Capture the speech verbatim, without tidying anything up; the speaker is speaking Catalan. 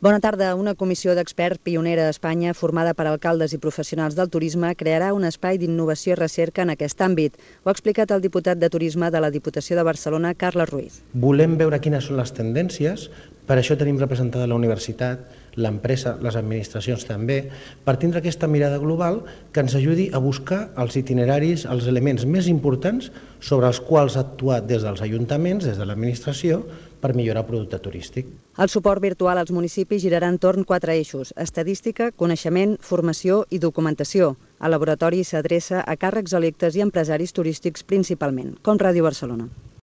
Bona tarda. Una comissió d'experts pionera a Espanya, formada per alcaldes i professionals del turisme, crearà un espai d'innovació i recerca en aquest àmbit. Ho ha explicat el diputat de Turisme de la Diputació de Barcelona, Carles Ruiz. Volem veure quines són les tendències, per això tenim representada la universitat, l'empresa, les administracions també, per tindre aquesta mirada global que ens ajudi a buscar els itineraris, els elements més importants sobre els quals actuar des dels ajuntaments, des de l'administració, per millorar el producte turístic. El suport virtual als municipis girarà entorn quatre eixos: estadística, coneixement, formació i documentació. El laboratori s'adreça a càrrecs electes i empresaris turístics principalment, com Ràdio Barcelona.